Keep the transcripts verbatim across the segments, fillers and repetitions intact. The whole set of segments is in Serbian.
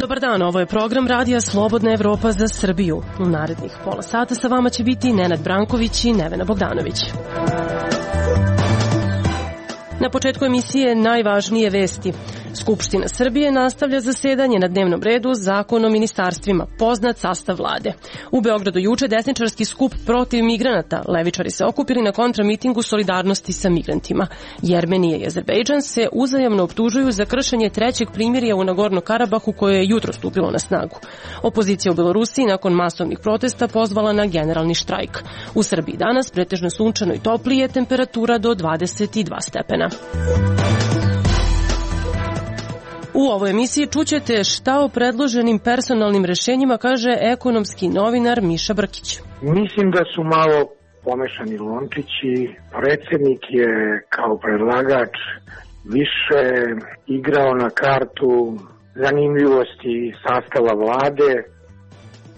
Dobar dan, ovo je program Radija Slobodna Evropa za Srbiju. U narednih pola sata sa vama će biti Nenad Branković i Nevena Bogdanović. Na početku emisije najvažnije vesti. Skupština Srbije nastavlja zasedanje na dnevnom redu Zakon o ministarstvima, poznat sastav vlade. U Beogradu juče desničarski skup protiv migranata. Levičari se okupili na kontramitingu solidarnosti sa migrantima. Jermenija i Azerbejdžan se uzajamno optužuju za kršenje trećeg primirja u Nagorno-Karabahu koje je jutro stupilo na snagu. Opozicija u Belorusiji nakon masovnih protesta pozvala na generalni štrajk. U Srbiji danas pretežno sunčano i toplije, temperatura do dvadeset dva stepena. U ovoj emisiji čućete šta o predloženim personalnim rešenjima kaže ekonomski novinar Miša Brkić. Mislim da su malo pomešani lončići. Predsednik je kao predlagač više igrao na kartu zanimljivosti sastava vlade.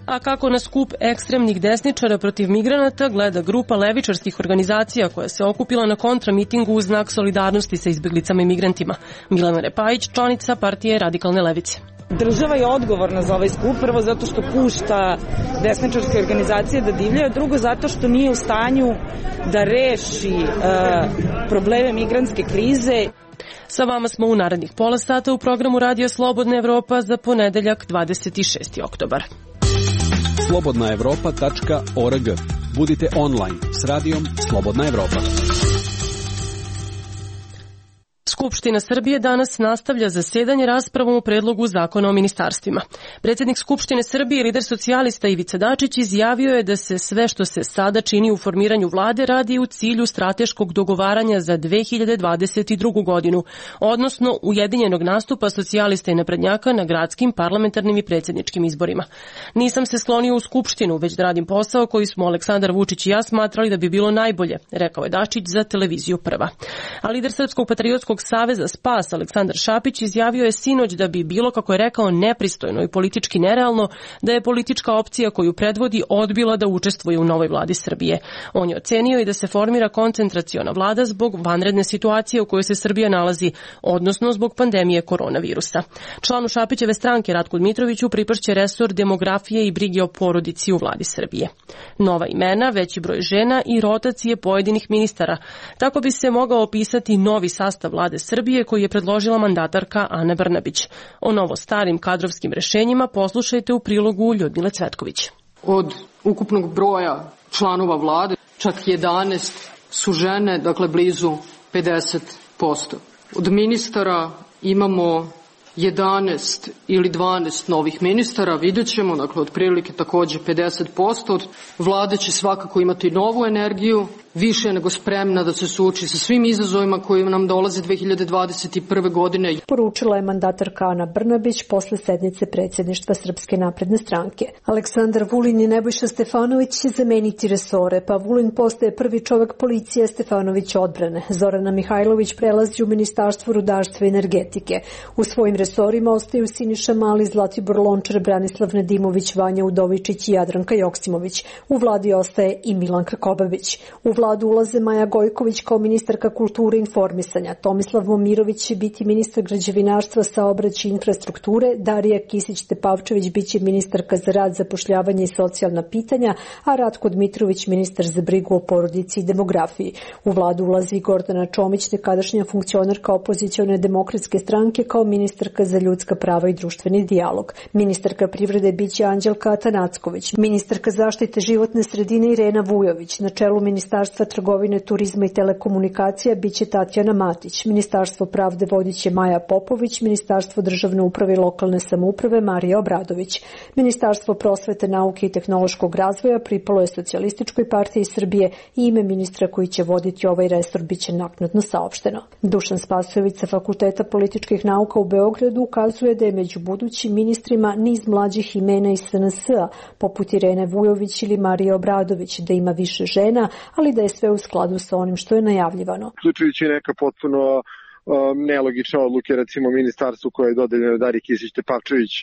A kako na skup ekstremnih desničara protiv migranata gleda grupa levičarskih organizacija koja se okupila na kontramitingu u znak solidarnosti sa izbeglicama i migrantima. Milana Repajić, članica partije Radikalne levice. Država je odgovorna za ovaj skup, prvo zato što pušta desničarske organizacije da divljaju, drugo zato što nije u stanju da reši uh, probleme migrantske krize. Sa vama smo u narednih pola sata u programu Radio Slobodna Evropa za ponedeljak dvadeset šesti oktobar. slobodna evropa tačka org. Budite online s radijom Slobodna Evropa. Skupština Srbije danas nastavlja zasedanje raspravom o predlogu zakona o ministarstvima. Predsjednik Skupštine Srbije, lider socijalista Ivica Dačić, izjavio je da se sve što se sada čini u formiranju vlade radi u cilju strateškog dogovaranja za dve hiljade dvadeset drugu. godinu, odnosno ujedinjenog nastupa socijalista i naprednjaka na gradskim, parlamentarnim i predsjedničkim izborima. Nisam se slonio u Skupštinu, već da radim posao koji smo Aleksandar Vučić i ja smatrali da bi bilo najbolje, rekao je Dačić za televiziju Prva. A lider Srpskog patriotskog Saveza Spas Aleksandar Šapić izjavio je sinoć da bi bilo, kako je rekao, nepristojno i politički nerealno da je politička opcija koju predvodi odbila da učestvuje u novoj vladi Srbije. On je ocenio i da se formira koncentraciona vlada zbog vanredne situacije u kojoj se Srbija nalazi, odnosno zbog pandemije koronavirusa. Članu Šapićeve stranke Ratku Dmitroviću pripašće resor demografije i brige o porodici u vladi Srbije. Nova imena, veći broj žena i rotacije pojedinih ministara. Tako bi se mogao opisati novi sastav vlade Srbije koji je predložila mandatarka Ana Brnabić. O novo starim kadrovskim rešenjima poslušajte u prilogu Ljudmile Cvetković. Od ukupnog broja članova vlade čak jedanaest su žene, dakle blizu pedeset posto. Od ministara imamo jedanaest ili dvanaest novih ministara, vidjet ćemo, dakle otprilike takođe pedeset posto. Od vlade će svakako imati novu energiju, više nego spremna da se suoči sa svim izazovima koji nam dolaze dve hiljade dvadeset prve. godine. Poručila je mandatarka Ana Brnabić posle sednice predsjedništva Srpske napredne stranke. Aleksandar Vulin i Nebojša Stefanović će zameniti resore, pa Vulin postaje prvi čovek policije, Stefanović odbrane. Zorana Mihajlović prelazi u Ministarstvo rudarstva i energetike. U svojim resorima ostaju Siniša Mali, Zlatibor Lončar, Branislav Nedimović, Vanja Udovičić i Jadranka Joksimović. U vladi ostaje i Milanka Kobabić. U vladu ulaze Maja Gojković kao ministarka kulture i informisanja. Tomislav Momirović će biti ministar građevinarstva, saobraćaja i infrastrukture. Darija Kisić-Tepavčević biće ministarka za rad, zapošljavanje i socijalna pitanja, a Ratko Dmitrović ministar za brigu o porodici i demografiji. U vladu ulazi i Gordana Čomić, nekadašnja funkcionarka opozicione demokratske stranke, kao ministarka za ljudska prava i društveni dijalog. Ministarka privrede biće Anđelka Atanacković. Ministarka zaštite životne sredine Irena Vujović. Na čelu ministarstva trgovine, turizma i telekomunikacija biće Tatjana Matić. Ministarstvo pravde vodiće Maja Popović. Ministarstvo državne uprave i lokalne samouprave Marija Obradović. Ministarstvo prosvete, nauke i tehnološkog razvoja pripalo je Socijalističkoj partiji Srbije i ime ministra koji će voditi ovaj resor biće naknadno saopšteno. Dušan Spasojević sa Fakulteta političkih nauka u Beogradu ukazuje da je među budućim ministrima niz mlađih imena iz S N S-a, poput Irene Vujović ili Marije Obradović, da ima više žena, ali da je sve u skladu sa onim što je najavljivano. Uključujući neka potpuno nelogične odluke, recimo ministarstvu koje je dodeljeno Dari Kisić Tepavčević,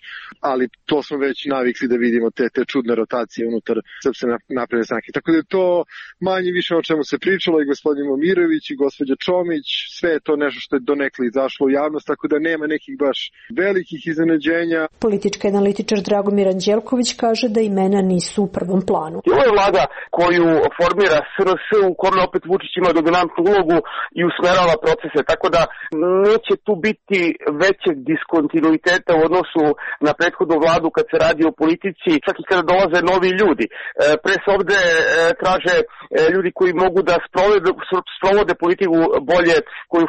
ali to smo već navikli da vidimo te, te čudne rotacije unutar Srpske napredne stranke. Tako da je to manje više o čemu se pričalo i gospodin Momirović i gospođa Čomić, sve je to nešto što je donekle izašlo u javnost, tako da nema nekih baš velikih iznenađenja. Politički analitičar Dragomir Anđelković kaže da imena nisu u prvom planu. I ovo je vlada koju formira S R S, u kome opet Vučić ima dominantnu ulogu i usmerava procese, tako da neće tu biti većeg diskontinuiteta u odnosu na prethodnu vladu kad se radi o politici, čak i kada dolaze novi ljudi. Pre se ovde traže ljudi koji mogu da sprovode, sprovode politiku bolje koju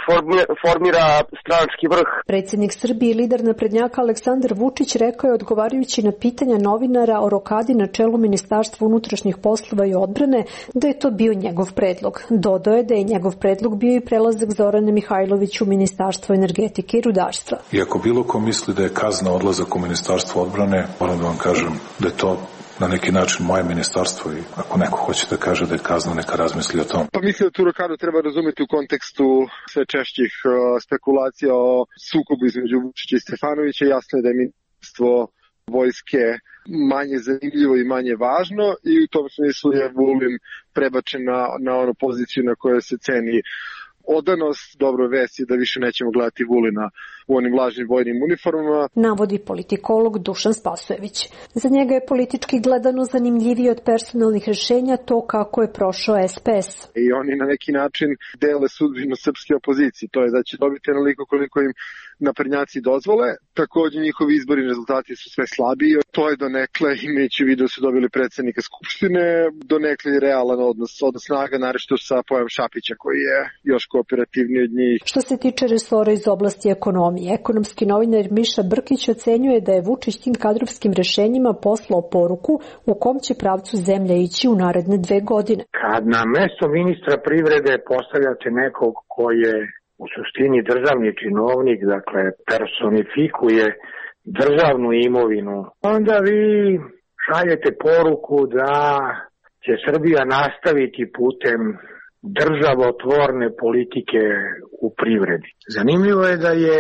formira stranački vrh. Predsjednik Srbije i lider naprednjaka Aleksandar Vučić rekao je odgovarajući na pitanja novinara o rokadi na čelu Ministarstva unutrašnjih poslova i odbrane da je to bio njegov predlog. Dodao je da je njegov predlog bio i prelazak Zorane Mihajlović u Ministarstvo energetike i rudarstva. I ako bilo ko misli da je kazna odlazak u Ministarstvo odbrane, moram da vam kažem da je to na neki način moje ministarstvo i ako neko hoće da kaže da je kazna, neka razmisli o tom. Pa mislim da tu rokadu treba razumjeti u kontekstu sve češćih uh, spekulacija o sukobu između Vučića i Stefanovića. Jasno je da je ministarstvo vojske manje zanimljivo i manje važno i u tom smislu je Vulin prebačen na, na onu poziciju na kojoj se ceni odanost. Dobro vest je da više nećemo gledati Vulina u onim lažnim vojnim uniformama. Navodi politikolog Dušan Spasojević. Za njega je politički gledano zanimljivije od personalnih rješenja to kako je prošao S P S. I oni na neki način dele sudbinu srpske opozicije. To je da će dobiti onoliko koliko im naprednjaci dozvole. Također njihovi izborni rezultati su sve slabiji. To je donekle, imajući vidio da su dobili predsjednika Skupštine, donekle je realan odnos, odnos snaga, naročito sa Pojavom Šapića koji je još kooperativniji od njih. Što se tiče resora iz oblasti ekonomije, ekonomski novinar Miša Brkić ocenjuje da je Vučić tim kadrovskim rješenjima poslao poruku u kom će pravcu zemlja ići u naredne dve godine. Kad na mesto ministra privrede postavljate nekog ko je u suštini državni činovnik, dakle personifikuje državnu imovinu, onda vi šaljete poruku da će Srbija nastaviti putem državotvorne politike u privredi. Zanimljivo je da je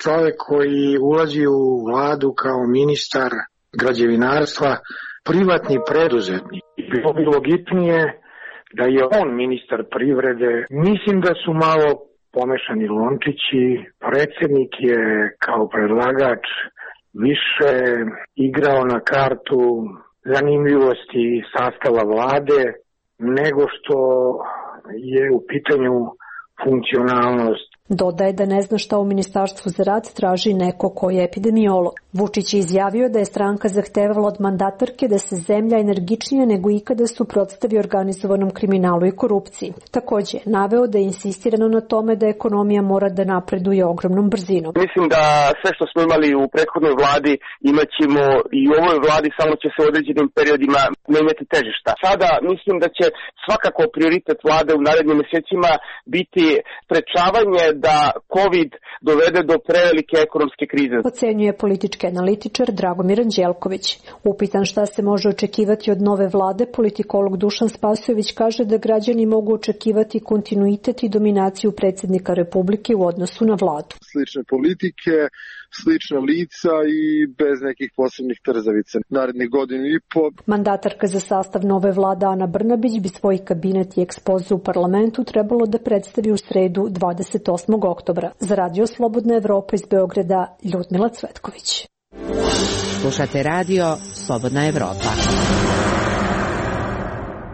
čovjek koji ulazi u vladu kao ministar građevinarstva privatni preduzetnik. Bilo bi logičnije da je on ministar privrede. Mislim da su malo pomešani lončići. Predsjednik je kao predlagač više igrao na kartu zanimljivosti sastava vlade nego što je u pitanju funkcionalnost. Dodaje da ne zna šta u Ministarstvu za rad traži neko ko je epidemiolog. Vučić je izjavio da je stranka zahtevala od mandatarke da se zemlja energičnije nego ikada suprotstavi organizovanom kriminalu i korupciji. Također je naveo da je insistirano na tome da ekonomija mora da napreduje ogromnom brzinom. Mislim da sve što smo imali u prethodnoj vladi imaćemo i u ovoj vladi, samo će se u određenim periodima menjati težišta. Sada mislim da će svakako prioritet vlade u narednim mjesecima biti sprečavanje da COVID dovede do prevelike ekonomske krize. Ocenjuje politički analitičar Dragomir Anđelković. Upitan šta se može očekivati od nove vlade, politikolog Dušan Spasojević kaže da građani mogu očekivati kontinuitet i dominaciju predsjednika Republike u odnosu na vladu. Slične politike, slična lica i bez nekih posebnih trzavica. Narednih godinu i po. Mandatarka za sastav nove vlade Ana Brnabić bi svoj kabinet i ekspoze u parlamentu trebalo da predstavi u sredu dvadeset osmog oktobra. Za Radio Slobodna Evropa iz Beograda, Ljudmila Cvetković. Slušate radio Slobodna Evropa.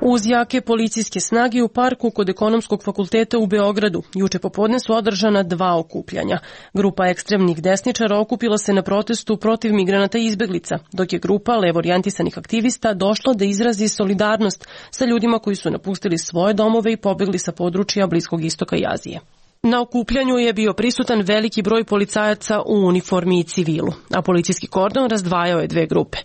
Uz jake policijske snage u parku kod Ekonomskog fakulteta u Beogradu juče popodne su održana dva okupljanja. Grupa ekstremnih desničara okupila se na protestu protiv migranata i izbeglica, dok je grupa levo orijentisanih aktivista došla da izrazi solidarnost sa ljudima koji su napustili svoje domove i pobegli sa područja Bliskog istoka i Azije. Na okupljanju je bio prisutan veliki broj policajaca u uniformi i civilu, a policijski kordon razdvajao je dve grupe.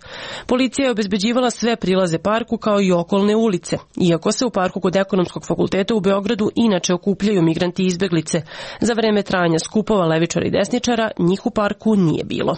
Policija je obezbeđivala sve prilaze parku kao i okolne ulice, iako se u parku kod Ekonomskog fakulteta u Beogradu inače okupljaju migranti i izbeglice. Za vreme trajanja skupova levičara i desničara njih u parku nije bilo.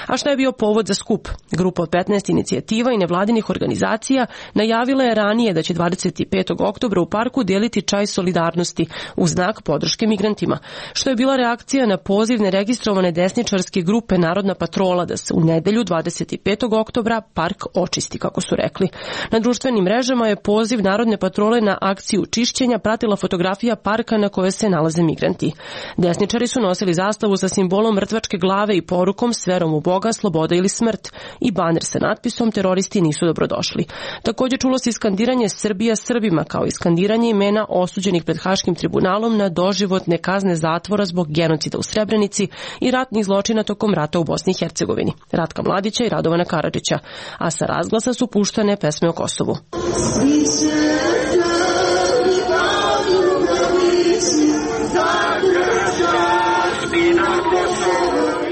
A šta je bio povod za skup? Grupa od petnaest inicijativa i nevladinih organizacija najavila je ranije da će dvadeset petog oktobra u parku deliti čaj solidarnosti u znak podrške migrantima migrantima, što je bila reakcija na poziv neregistrovane desničarske grupe Narodna patrola da se u nedelju dvadeset petog oktobra park očisti, kako su rekli. Na društvenim mrežama je poziv Narodne patrole na akciju čišćenja pratila fotografija parka na kojoj se nalaze migranti. Desničari su nosili zastavu sa simbolom mrtvačke glave i porukom s verom u Boga, sloboda ili smrt i baner sa natpisom teroristi nisu dobrodošli. Također čulo se skandiranje Srbija Srbima, kao i skandiranje imena osuđenih pred Haškim tribunalom na doživotne kazne zatvora zbog genocida u Srebrenici i ratnih zločina tokom rata u Bosni i Hercegovini, Ratka Mladića i Radovana Karadžića, a sa razglasa su puštane pesme o Kosovu.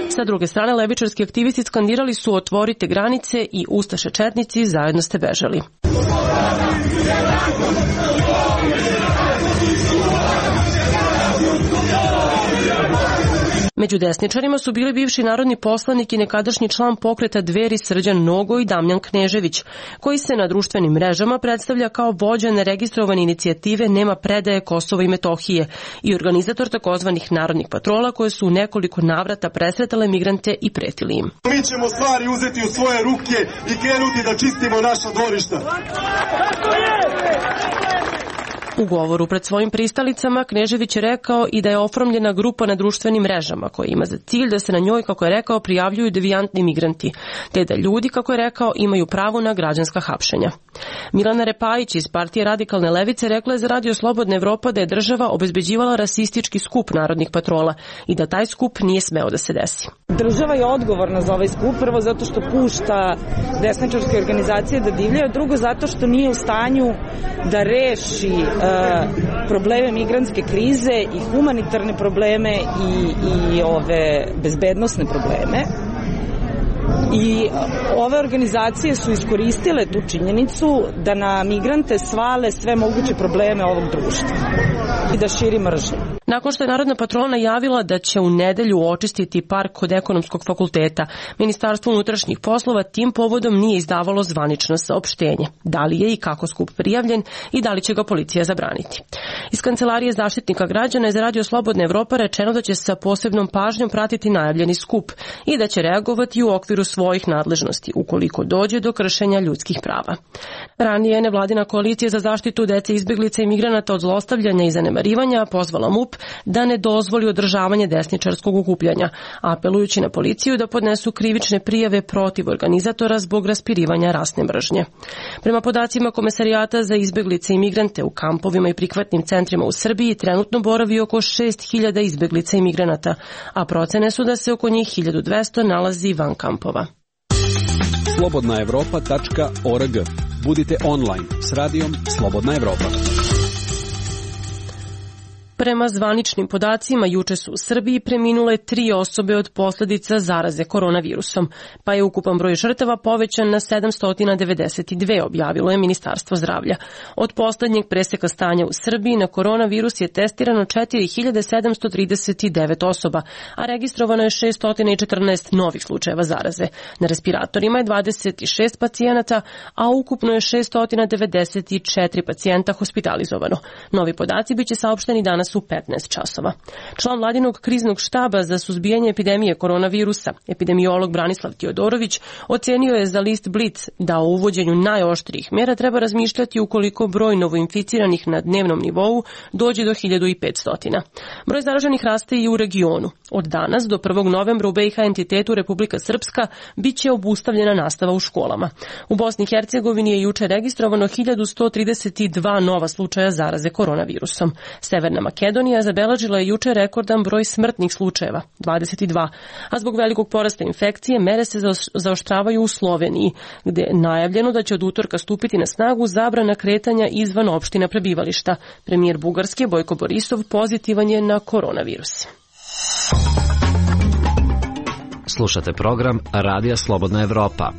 Sa druge strane, levičarski aktivisti skandirali su otvorite granice i ustaše četnici zajedno ste bežali. Među desničarima su bili bivši narodni poslanik i nekadašnji član pokreta Dveri Srđan Nogo i Damljan Knežević, koji se na društvenim mrežama predstavlja kao vođa neregistrovane inicijative Nema predaje Kosova i Metohije i organizator takozvanih narodnih patrola koje su u nekoliko navrata presretale migrante i pretili im. Mi ćemo stvari uzeti u svoje ruke i krenuti da čistimo naša dvorišta. U govoru pred svojim pristalicama Knežević je rekao i da je oformljena grupa na društvenim mrežama koja ima za cilj da se na njoj, kako je rekao, prijavljuju devijantni migranti, te da ljudi, kako je rekao, imaju pravo na građanska hapšenja. Milana Repajić iz partije Radikalne levice rekla je za Radio Slobodna Evropa da je država obezbeđivala rasistički skup narodnih patrola i da taj skup nije smeo da se desi. Država je odgovorna za ovaj skup, prvo zato što pušta desničarske organizacije da divljaju, drugo zato što nije u stanju da reši probleme migrantske krize i humanitarne probleme i, i ove bezbednosne probleme. I ove organizacije su iskoristile tu činjenicu da na migrante svale sve moguće probleme ovog društva i da širi mržnju. Nakon što je Narodna patrola najavila da će u nedelju očistiti park kod Ekonomskog fakulteta, Ministarstvo unutrašnjih poslova tim povodom nije izdavalo zvanično saopštenje. Da li je i kako skup prijavljen i da li će ga policija zabraniti. Iz Kancelarije Zaštitnika građana je za Radio Slobodna Evropa rečeno da će sa posebnom pažnjom pratiti najavljeni skup i da će reagovati u okviru svojih nadležnosti ukoliko dođe do kršenja ljudskih prava. Ranije je nevladina koalicija za zaštitu dece, izbeglica i migranata od zlostavljanja i zanemarivanja pozvala MUP da ne dozvoli održavanje desničarskog okupljanja, apelujući na policiju da podnesu krivične prijave protiv organizatora zbog raspirivanja rasne mržnje. Prema podacima Komesarijata za izbeglice i migrante u kampovima i prihvatnim centrima u Srbiji trenutno boravi oko šest hiljada izbeglica i migranata, a procene su da se oko njih hiljadu dvesta nalazi van kampova. slobodna evropa tačka org. Budite online s radijom Slobodna Evropa. Prema zvaničnim podacima, juče su u Srbiji preminule tri osobe od posljedica zaraze koronavirusom, pa je ukupan broj žrtava povećan na sedamsto devedeset dve, objavilo je Ministarstvo zdravlja. Od poslednjeg preseka stanja u Srbiji na koronavirus je testirano četiri hiljade sedamsto trideset devet osoba, a registrovano je šesto četrnaest novih slučajeva zaraze. Na respiratorima je dvadeset šest pacijenata, a ukupno je šesto devedeset četiri pacijenta hospitalizovano. Novi podaci biće saopšteni danas u petnaest časova. Član vladinog kriznog štaba za suzbijanje epidemije koronavirusa, epidemiolog Branislav Tiodorović, ocenio je za list Blic da o uvođenju najoštrijih mera treba razmišljati ukoliko broj novoinficiranih na dnevnom nivou dođe do hiljadu petsto. Broj zaraženih raste i u regionu. Od danas do prvog novembra u B i H entitetu Republika Srpska biće obustavljena nastava u školama. U Bosni i Hercegovini je juče registrovano hiljadu sto trideset dva nova slučaja zaraze koronavirusom. Severna Makedonija zabeležila je juče rekordan broj smrtnih slučajeva, dvadeset dva, a zbog velikog porasta infekcije mere se zaoštravaju u Sloveniji, gde je najavljeno da će od utorka stupiti na snagu zabrana kretanja izvan opština prebivališta. Premijer Bugarske Bojko Borisov pozitivan je na koronavirus. Slušate program Radija Slobodna Evropa.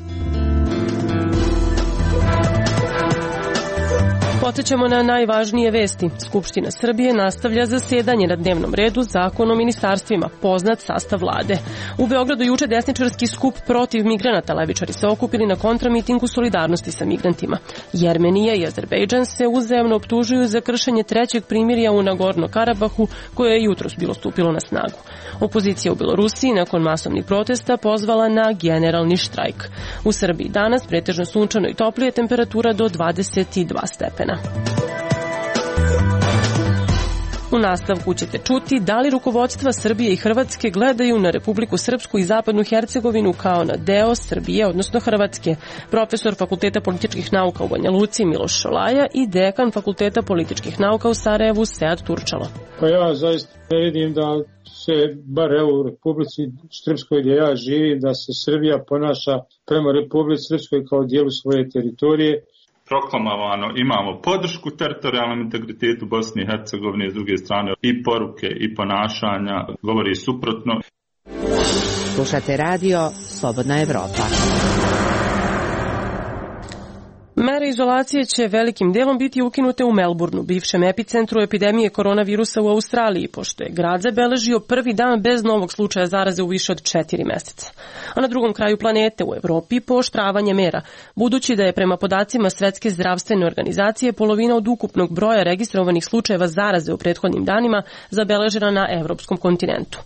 Podsećamo na najvažnije vesti. Skupština Srbije nastavlja zasedanje na dnevnom redu Zakon o ministarstvima, poznat sastav vlade. U Beogradu juče desničarski skup protiv migranata, levičari se okupili na kontramitingu solidarnosti sa migrantima. Jermenija i Azerbejdžan se uzajamno optužuju za kršenje trećeg primirja u Nagorno-Karabahu, koje je jutros bilo stupilo na snagu. Opozicija u Belorusiji nakon masovnih protesta pozvala na generalni štrajk. U Srbiji danas pretežno sunčano i toplije, temperatura do dvadeset dva stepena. U nastavku ćete čuti da li rukovodstva Srbije i Hrvatske gledaju na Republiku Srpsku i Zapadnu Hercegovinu kao na deo Srbije, odnosno Hrvatske. Profesor Fakulteta političkih nauka u Banja Luci Miloš Šolaja i dekan Fakulteta političkih nauka u Sarajevu Sead Turčalo. Pa ja zaista ne vidim da se, bar evo u Republici Srpskoj gdje ja živim, da se Srbija ponaša prema Republici Srpskoj kao dijelu svoje teritorije. Proklamovano imamo podršku teritorijalnom integritetu Bosne i Hercegovine, s druge strane i poruke i ponašanja govori suprotno. Slušate radio Slobodna Evropa. Mere izolacije će velikim delom biti ukinute u Melbourneu, bivšem epicentru epidemije koronavirusa u Australiji, pošto je grad zabeležio prvi dan bez novog slučaja zaraze u više od četiri meseca. A na drugom kraju planete, u Evropi, pooštravanje mera, budući da je prema podacima Svetske zdravstvene organizacije polovina od ukupnog broja registrovanih slučajeva zaraze u prethodnim danima zabeležena na evropskom kontinentu.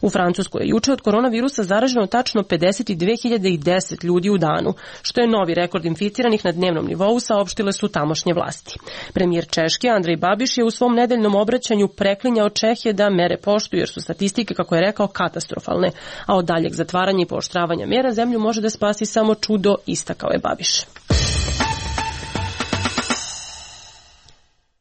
U Francuskoj je juče od koronavirusa zaraženo tačno pedeset dve hiljade deset ljudi u danu, što je novi rekord inficiranih na dnevnom nivou, saopštile su tamošnje vlasti. Premijer Češke Andrej Babiš je u svom nedeljnom obraćanju preklinjao Čehe da mere poštuju jer su statistike, kako je rekao, katastrofalne, a od daljeg zatvaranja i pooštravanja mera zemlju može da spasi samo čudo, istakao je Babiš.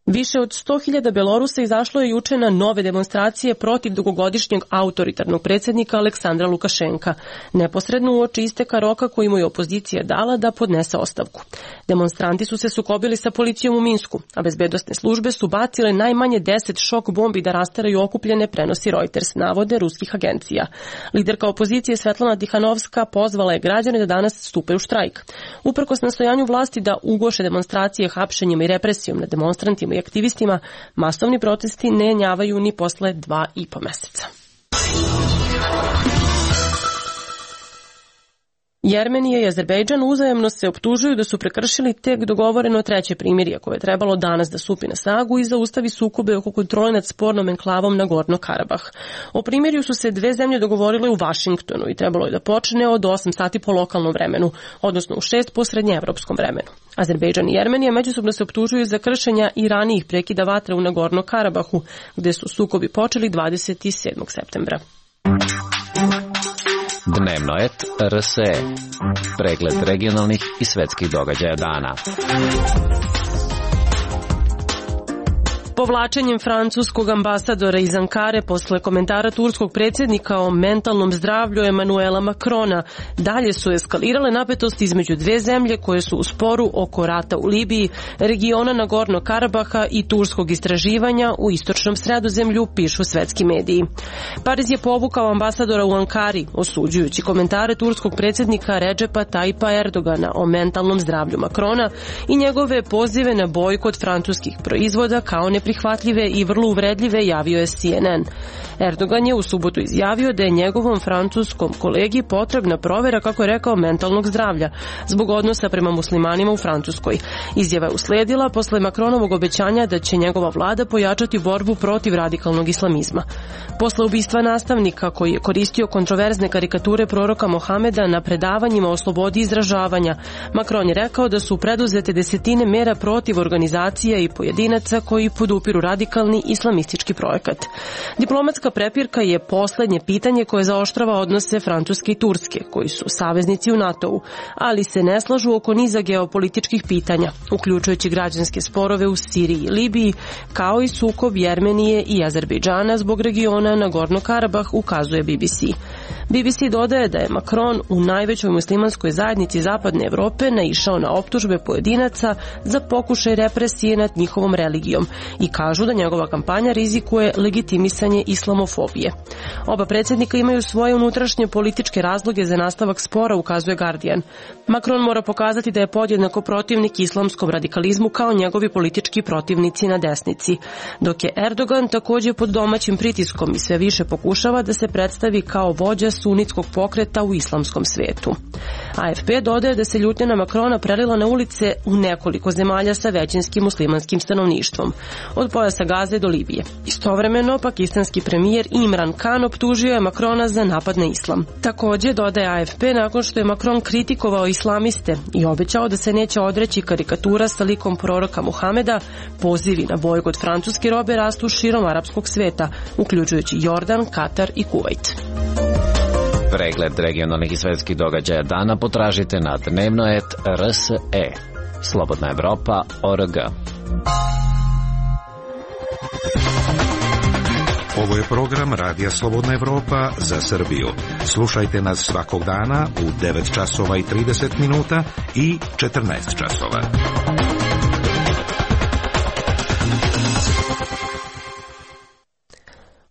Više od sto hiljada Belorusa izašlo je juče na nove demonstracije protiv dugogodišnjeg autoritarnog predsjednika Aleksandra Lukašenka, neposredno uoči isteka roka koji mu je opozicija dala da podnese ostavku. Demonstranti su se sukobili sa policijom u Minsku, a bezbednosne službe su bacile najmanje deset šok bombi da rastaraju okupljene, prenosi Reuters, navode ruskih agencija. Liderka opozicije Svetlana Tihanovska pozvala je građane da danas stupe u štrajk. Uprkos nastojanju vlasti da ugoše demonstracije hapšenjima i represijom nad demonstrantima i aktivistima, masovni protesti ne jenjavaju ni posle dva i po meseca. Jermenija i Azerbejdžan uzajamno se optužuju da su prekršili tek dogovoreno treće primirje koje je trebalo danas da stupi na snagu i zaustavi sukobe oko kontrole nad spornom enklavom Nagorno-Karabah. O primirju su se dve zemlje dogovorile u Vašingtonu i trebalo je da počne od osam sati po lokalnom vremenu, odnosno u šest po srednjeevropskom vremenu. Azerbejdžan i Jermenija međusobno se optužuju za kršenja i ranijih prekida vatre u Nagorno-Karabahu, gde su sukobi počeli dvadeset sedmog septembra. Dnevno et R S E. Pregled regionalnih i svetskih događaja dana. Povlačenjem francuskog ambasadora iz Ankare posle komentara turskog predsjednika o mentalnom zdravlju Emanuela Macrona, dalje su eskalirale napetosti između dve zemlje koje su u sporu oko rata u Libiji, regiona Nagorno-Karabaha i turskog istraživanja u istočnom Sredozemlju, pišu svetski mediji. Pariz je povukao ambasadora u Ankari, osuđujući komentare turskog predsjednika Redžepa Tajpa Erdogana o mentalnom zdravlju Macrona i njegove pozive na bojkot francuskih proizvoda kao ne prihvatljive i vrlo uvredljive, javio je C N N. Erdogan je u subotu izjavio da je njegovom francuskom kolegi potrebna provera, kako je rekao, mentalnog zdravlja zbog odnosa prema muslimanima u Francuskoj. Izjava je usledila posle Macronovog obećanja da će njegova vlada pojačati borbu protiv radikalnog islamizma. Posle ubistva nastavnika koji je koristio kontroverzne karikature proroka Mohameda na predavanjima o slobodi izražavanja, Macron je rekao da su preduzete desetine mera protiv organizacija i pojedinaca koji podupiru radikalni islamistički projekat. Diplomatska prepirka je poslednje pitanje koje zaoštrava odnose Francuske i Turske, koji su saveznici u NATO-u, ali se ne slažu oko niza geopolitičkih pitanja, uključujući građanske sporove u Siriji i Libiji, kao i sukob Jermenije i Azerbejdžana zbog regiona Nagorno-Karabah, ukazuje B B C. B B C dodaje da je Macron u najvećoj muslimanskoj zajednici Zapadne Evrope naišao na optužbe pojedinaca za pokušaj represije nad njihovom religijom i kažu da njegova kampanja rizikuje legitimisanje islamofobije. Oba predsjednika imaju svoje unutrašnje političke razloge za nastavak spora, ukazuje Guardian. Macron mora pokazati da je podjednako protivnik islamskom radikalizmu kao njegovi politički protivnici na desnici, dok je Erdogan također pod domaćim pritiskom i sve više pokušava da se predstavi kao vođa sunitskog pokreta u islamskom svetu. A F P dodaje da se ljutnja na Macrona prelila na ulice u nekoliko zemalja sa većinskim muslimanskim stanovništvom, od pojasa Gaze do Libije. Istovremeno, pakistanski premijer Imran Khan optužio je Macrona za napad na islam. Također, dodaje A F P, nakon što je Macron kritikovao islamiste i obećao da se neće odreći karikatura sa likom proroka Muhameda, pozivi na bojkot francuske robe rastu širom arapskog sveta, uključujući Jordan, Katar i Kuvajt. Pregled regionalnih i svetskih događaja dana potražite na dnevnoet R S E. Slobodna Evropa O R G. Ovo je program Radija Slobodna Evropa za Srbiju. Slušajte nas svakog dana u devet časova i trideset minuta i četrnaest časova.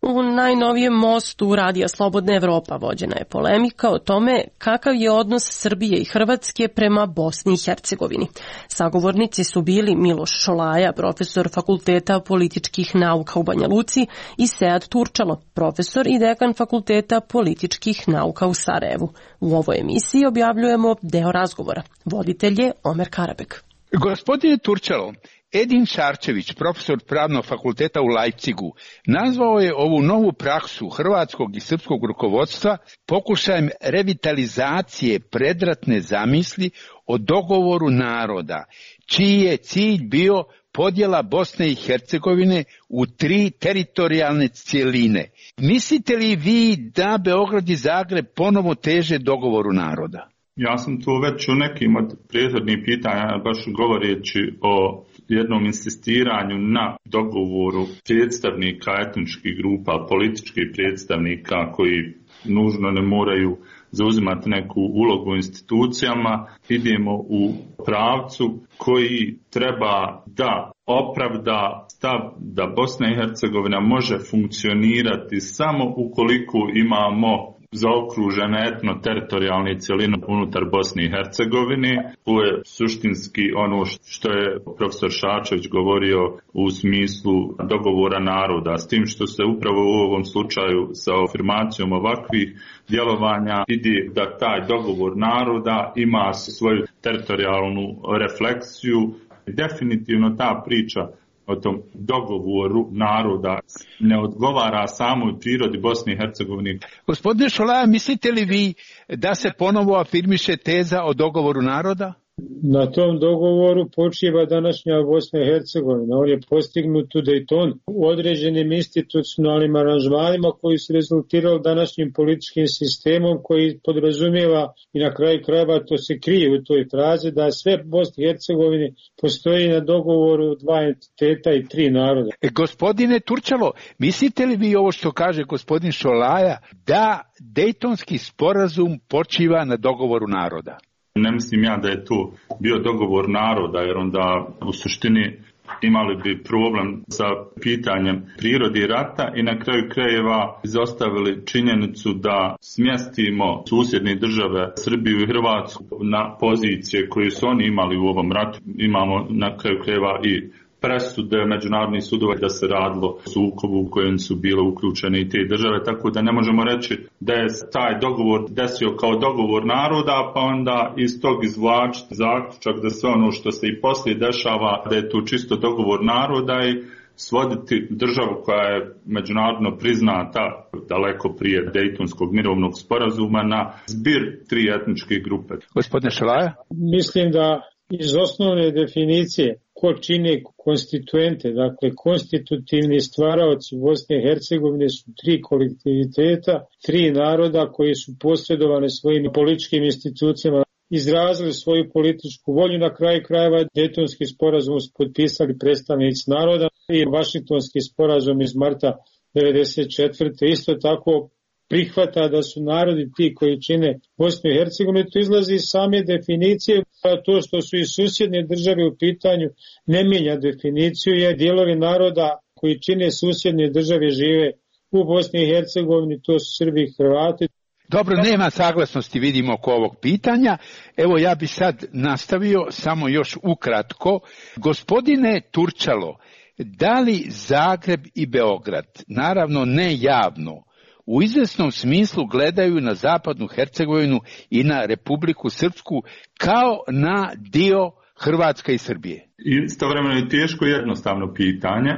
U najnovijem mostu Radija Slobodna Evropa vođena je polemika o tome kakav je odnos Srbije i Hrvatske prema Bosni i Hercegovini. Sagovornici su bili Miloš Šolaja, profesor Fakulteta političkih nauka u Banja Luci, i Sead Turčalo, profesor i dekan Fakulteta političkih nauka u Sarajevu. U ovoj emisiji objavljujemo deo razgovora. Voditelj je Omer Karabek. Gospodine Turčalo, Edin Šarčević, profesor Pravnog fakulteta u Leipzigu, nazvao je ovu novu praksu hrvatskog i srpskog rukovodstva pokušajem revitalizacije predratne zamisli o dogovoru naroda, čiji je cilj bio podjela Bosne i Hercegovine u tri teritorijalne cjeline. Mislite li vi da Beograd i Zagreb ponovo teže dogovoru naroda? Ja sam tu već u nekim od prethodnih pitanja, baš govoreći o jednom insistiranju na dogovoru predstavnika etničkih grupa, političkih predstavnika koji nužno ne moraju zauzimati neku ulogu u institucijama, idemo u pravcu koji treba da opravda stav da Bosna i Hercegovina može funkcionirati samo ukoliko imamo zaokružene etno-teritorijalne cjeline unutar Bosne i Hercegovine. To je suštinski ono što je profesor Šarčević govorio u smislu dogovora naroda, s tim što se upravo u ovom slučaju sa afirmacijom ovakvih djelovanja ide da taj dogovor naroda ima svoju teritorijalnu refleksiju. Definitivno ta priča o tom dogovoru naroda ne odgovara samoj prirodi Bosne i Hercegovine. Gospodine Šolaja, mislite li vi da se ponovo afirmiše teza o dogovoru naroda? Na tom dogovoru počiva današnja Bosna i Hercegovina. On je postignut u Daytonu u određenim institucionalnim aranžmanima koji su rezultirali današnjim političkim sistemom koji podrazumijeva i na kraju krajeva to se krije u toj frazi da sve Bosni i Hercegovine postoji na dogovoru dva entiteta i tri naroda. E, gospodine Turčalo, mislite li vi ovo što kaže gospodin Šolaja da Dejtonski sporazum počiva na dogovoru naroda? Ne mislim ja da je to bio dogovor naroda, jer onda u suštini imali bi problem sa pitanjem prirodi rata i na kraju krajeva izostavili činjenicu da smjestimo susjedne države Srbiju i Hrvatsku na pozicije koje su oni imali u ovom ratu. Imamo na kraju krajeva i presude međunarodnih sudova da se radilo o sukobu u kojem su bile uključene i te države, tako da ne možemo reći da je taj dogovor desio kao dogovor naroda, pa onda iz tog izvlačiti zaključak da sve ono što se i poslije dešava, da je to čisto dogovor naroda i svoditi državu koja je međunarodno priznata daleko prije Dejtonskog mirovnog sporazuma na zbir tri etničke grupe. Gospodine Šolaja? Mislim da iz osnovne definicije ko čine konstituente, dakle konstitutivni stvaraoci Bosne i Hercegovine su tri kolektiviteta, tri naroda koji su posredovane svojim političkim institucijama, izrazili svoju političku volju. Na kraju krajeva Dejtonski sporazum su potpisali predstavnici naroda i Vašingtonski sporazum iz marta devedeset četvrte. Isto tako prihvata da su narodi ti koji čine Bosnu i Hercegovinu. To izlazi iz same definicije, a to što su i susjedne države u pitanju ne mijenja definiciju, jer dijelovi naroda koji čine susjedne države žive u Bosni i Hercegovini, to su Srbi i Hrvati. Dobro, nema saglasnosti, vidimo, oko ovog pitanja. Evo, ja bi sad nastavio samo još ukratko. Gospodine Turčalo, da li Zagreb i Beograd, naravno ne javno, u izvesnom smislu gledaju na zapadnu Hercegovinu i na Republiku Srpsku kao na dio Hrvatske i Srbije? Istovremeno je teško jednostavno pitanje.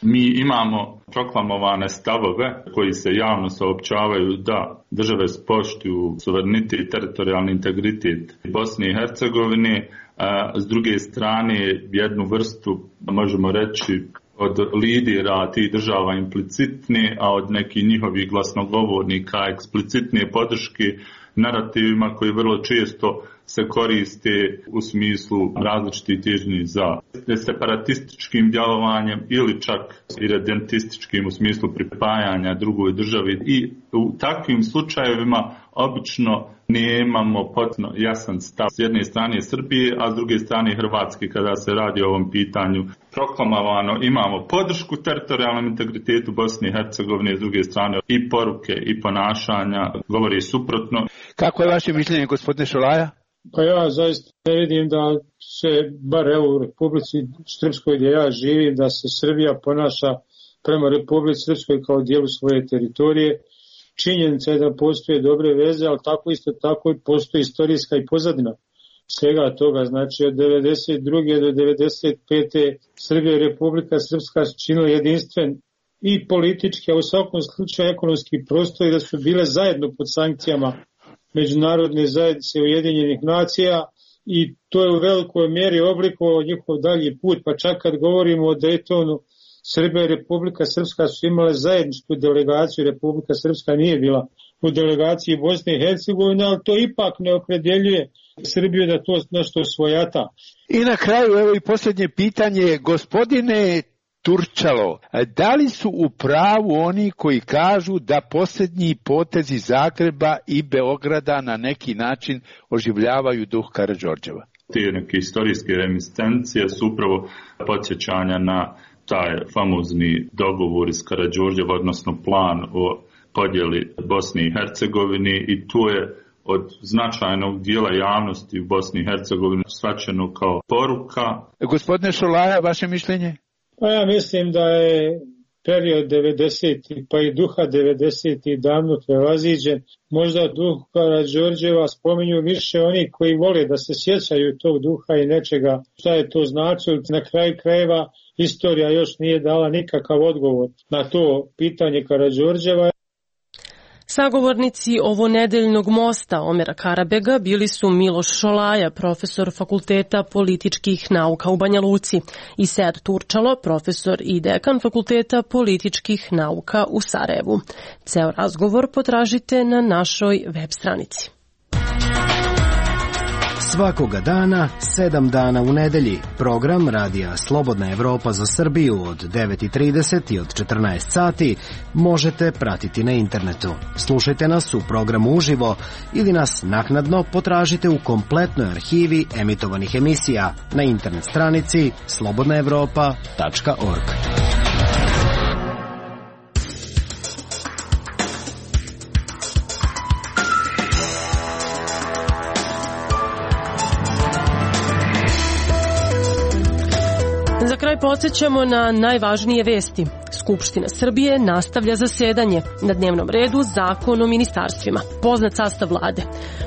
Mi imamo proklamovane stavove koji se javno saopćavaju da države poštuju suverenitet i teritorijalni integritet Bosne i Hercegovine, a s druge strane jednu vrstu, možemo reći, od lidera tih država implicitne, a od nekih njihovih glasnogovornika eksplicitne podrške narativima koji vrlo često se koriste u smislu različitih težnji za separatističkim djelovanjem ili čak irredentističkim u smislu pripajanja drugoj državi. I u takvim slučajevima obično nemamo potpuno jasan stav s jedne strane Srbije, a s druge strane Hrvatske kada se radi o ovom pitanju. Proklamovano imamo podršku teritorijalnom integritetu Bosne i Hercegovine, s druge strane i poruke i ponašanja govori suprotno. Kako je vaše mišljenje, gospodine Šolaja? Pa ja zaista ne vidim da se, bar evo u Republici Srpskoj gdje ja živim, da se Srbija ponaša prema Republici Srpskoj kao dijelu svoje teritorije. Činjenica je da postoje dobre veze, ali tako isto tako postoji istorijska i pozadina svega toga. Znači od devedeset druge do devedeset pete Srbija i Republika Srpska su činili jedinstven i politički, a u svakom slučaju ekonomski prostor, i da su bile zajedno pod sankcijama Međunarodne zajednice Ujedinjenih nacija, i to je u velikoj mjeri oblikovao njihov dalji put. Pa čak kad govorimo o Daytonu, Srbija i Republika Srpska su imale zajedničku delegaciju, Republika Srpska nije bila u delegaciji Bosne i Hercegovine, ali to ipak ne opredjeljuje Srbiju da to nešto svojata. I na kraju, evo i posljednje pitanje, gospodine Turčalo, da li su u pravu oni koji kažu da posljednji potezi Zagreba i Beograda na neki način oživljavaju duh Karađorđeva? Te neke istorijske reminiscencije su upravo podsjećanja na taj famozni dogovor iz Karađorđeva, odnosno plan o podjeli Bosne i Hercegovine, i to je od značajnog dijela javnosti u Bosni i Hercegovini shvaćeno kao poruka. Gospodine Šolaja, vaše mišljenje? Pa ja mislim da je period devedesetih pa i duha devedesetih davno prevaziđen. Možda duh Karađorđeva spominju više oni koji vole da se sjećaju tog duha i nečega šta je to značilo. Na kraju krajeva istorija još nije dala nikakav odgovor na to pitanje Karađorđeva. Sagovornici ovonedeljnog mosta Omera Karabega bili su Miloš Šolaja, profesor Fakulteta političkih nauka u Banja Luci, i Sead Turčalo, profesor i dekan Fakulteta političkih nauka u Sarajevu. Ceo razgovor potražite na našoj web stranici. Svakoga dana, sedam dana u nedelji, program Radija Slobodna Evropa za Srbiju od devet i trideset i od četrnaest sati možete pratiti na internetu. Slušajte nas u programu uživo ili nas naknadno potražite u kompletnoj arhivi emitovanih emisija na internet stranici slobodna evropa tačka org. Za kraj podsjećamo na najvažnije vesti. Skupština Srbije nastavlja zasedanje. Na dnevnom redu Zakon o ministarstvima. Poznat sastav vlade.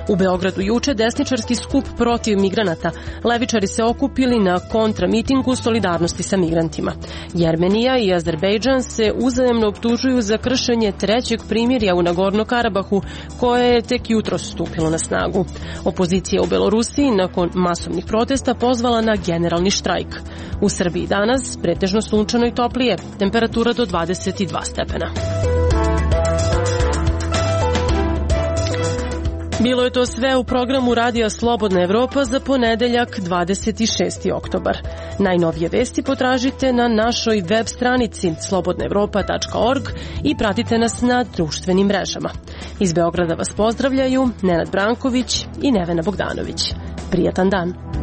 U Beogradu juče desničarski skup protiv migranata. Levičari se okupili na kontramitingu solidarnosti sa migrantima. Jermenija i Azerbejdžan se uzajemno optužuju za kršenje trećeg primirja u Nagorno-Karabahu, koje je tek jutros stupilo na snagu. Opozicija u Belorusiji nakon masovnih protesta pozvala na generalni štrajk. U Srbiji danas pretežno sunčano i toplije, temperatura do dvadeset dva stepena. Bilo je to sve u programu Radija Slobodna Evropa za ponedeljak dvadeset šesti oktobar. Najnovije vesti potražite na našoj web stranici slobodna evropa tačka org i pratite nas na društvenim mrežama. Iz Beograda vas pozdravljaju Nenad Branković i Nevena Bogdanović. Prijatan dan!